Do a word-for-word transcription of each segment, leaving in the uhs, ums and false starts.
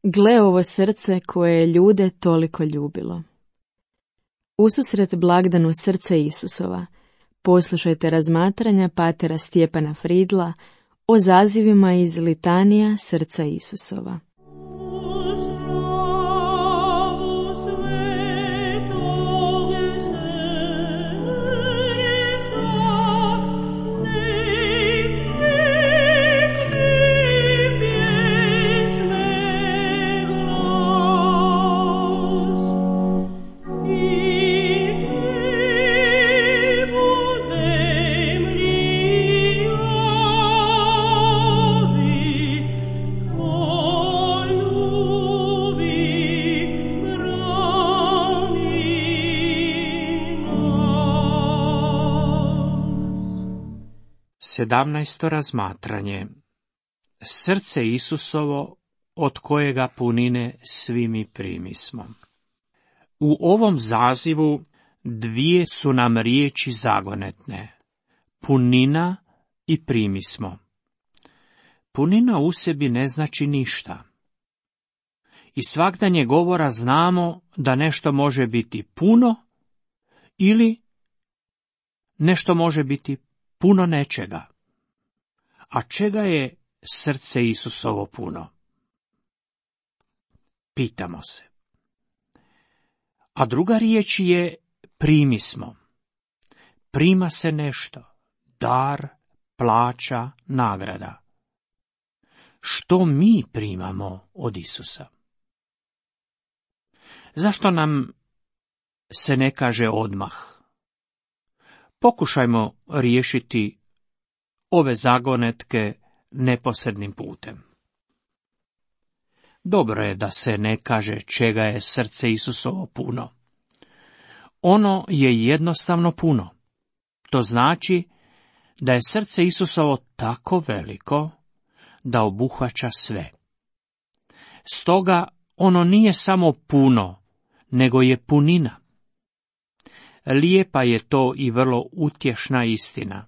Gle ovo srce koje je ljude toliko ljubilo. Ususret blagdanu srce Isusova, poslušajte razmatranja patera Stjepana Fridla o zazivima iz litanija srca Isusova. Sedamnaesto razmatranje. Srce Isusovo, od kojega punine svi mi primismo. U ovom zazivu dvije su nam riječi zagonetne. Punina i primismo. Punina u sebi ne znači ništa. Iz svagdanje govora znamo da nešto može biti puno ili nešto može biti puno nečega. A čega je srce Isusovo puno? Pitamo se. A druga riječ je primismo. Prima se nešto. Dar, plaća, nagrada. Što mi primamo od Isusa? Zašto nam se ne kaže odmah? Pokušajmo riješiti ove zagonetke neposrednim putem. Dobro je da se ne kaže čega je srce Isusovo puno. Ono je jednostavno puno. To znači da je srce Isusovo tako veliko da obuhvaća sve. Stoga ono nije samo puno, nego je punina. Lijepa je to i vrlo utješna istina.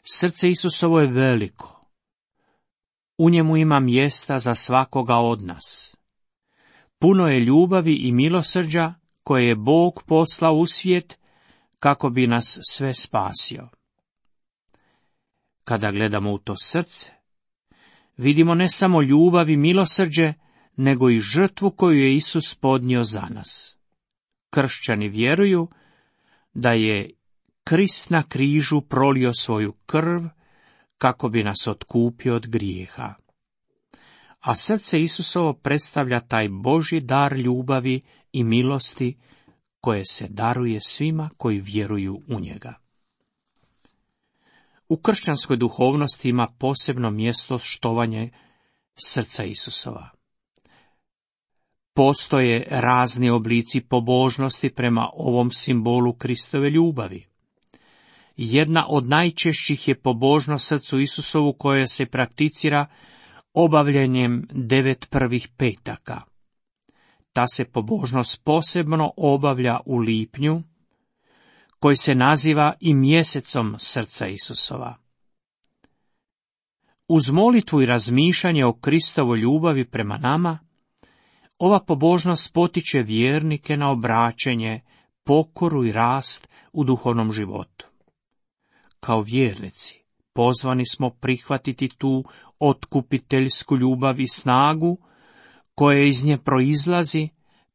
Srce Isusovo je veliko. U njemu ima mjesta za svakoga od nas. Puno je ljubavi i milosrđa koje je Bog poslao u svijet kako bi nas sve spasio. Kada gledamo u to srce, vidimo ne samo ljubav i milosrđe, nego i žrtvu koju je Isus podnio za nas. Kršćani vjeruju da je Krist na križu prolio svoju krv kako bi nas otkupio od grijeha. A srce Isusovo predstavlja taj Božji dar ljubavi i milosti koje se daruje svima koji vjeruju u njega. U kršćanskoj duhovnosti ima posebno mjesto štovanje srca Isusova. Postoje razni oblici pobožnosti prema ovom simbolu Kristove ljubavi. Jedna od najčešćih je pobožnost srcu Isusovu koja se prakticira obavljanjem devet prvih petaka. Ta se pobožnost posebno obavlja u lipnju, koji se naziva i mjesecom srca Isusova. Uz molitvu i razmišljanje o Kristovoj ljubavi prema nama, ova pobožnost potiče vjernike na obraćenje, pokoru i rast u duhovnom životu. Kao vjernici pozvani smo prihvatiti tu otkupiteljsku ljubav i snagu koja iz nje proizlazi,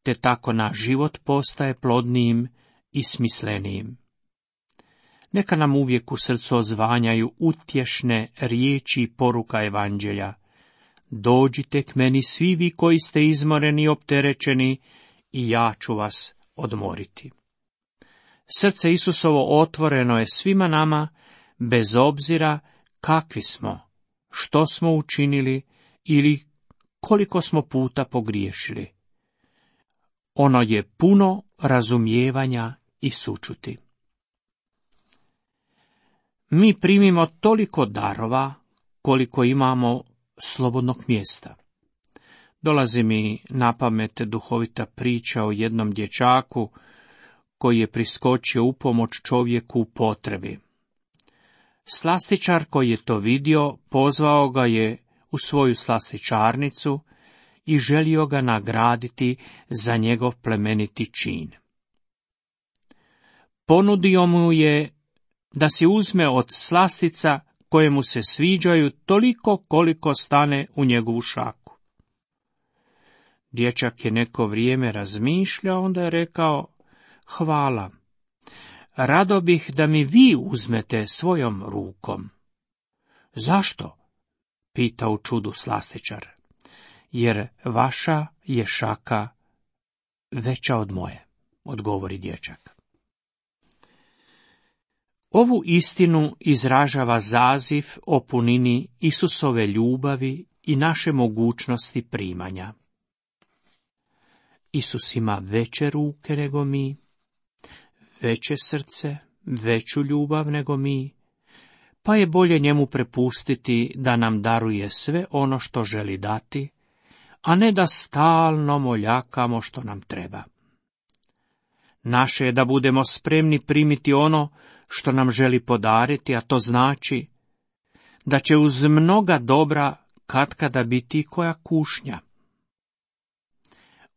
te tako naš život postaje plodnijim i smislenijim. Neka nam uvijek u srcu odzvanjaju utješne riječi i poruka evanđelja. Dođite k meni svi vi koji ste izmoreni i opterećeni, i ja ću vas odmoriti. Srce Isusovo otvoreno je svima nama, bez obzira kakvi smo, što smo učinili ili koliko smo puta pogriješili. Ono je puno razumijevanja i sućuti. Mi primimo toliko darova koliko imamo slobodnog mjesta. Dolazi mi na pamet duhovita priča o jednom dječaku koji je priskočio u pomoć čovjeku u potrebi. Slastičar koji je to vidio pozvao ga je u svoju slastičarnicu i želio ga nagraditi za njegov plemeniti čin. Ponudio mu je da si uzme od slastica koje mu se sviđaju toliko koliko stane u njegovu šaku. Dječak je neko vrijeme razmišljao, onda je rekao: hvala, rado bih da mi vi uzmete svojom rukom. Zašto? Pita u čudu slastičar. Jer vaša je šaka veća od moje, odgovori dječak. Ovu istinu izražava zaziv o punini Isusove ljubavi i naše mogućnosti primanja. Isus ima veće ruke nego mi, veće srce, veću ljubav nego mi, pa je bolje njemu prepustiti da nam daruje sve ono što želi dati, a ne da stalno moljakamo što nam treba. Naše je da budemo spremni primiti ono što nam želi podariti, a to znači da će uz mnoga dobra katkada biti koja kušnja.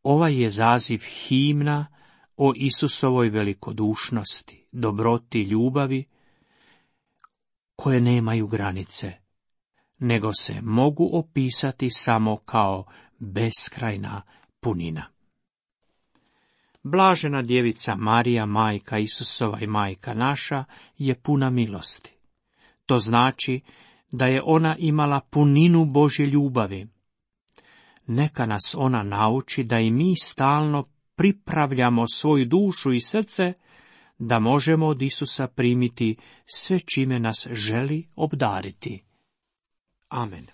Ovaj je zaziv himna o Isusovoj velikodušnosti, dobroti, ljubavi, koje nemaju granice, nego se mogu opisati samo kao beskrajna punina. Blažena djevica Marija, majka Isusova i majka naša, je puna milosti. To znači da je ona imala puninu Božje ljubavi. Neka nas ona nauči da i mi stalno pripravljamo svoju dušu i srce da možemo od Isusa primiti sve čime nas želi obdariti. Amen.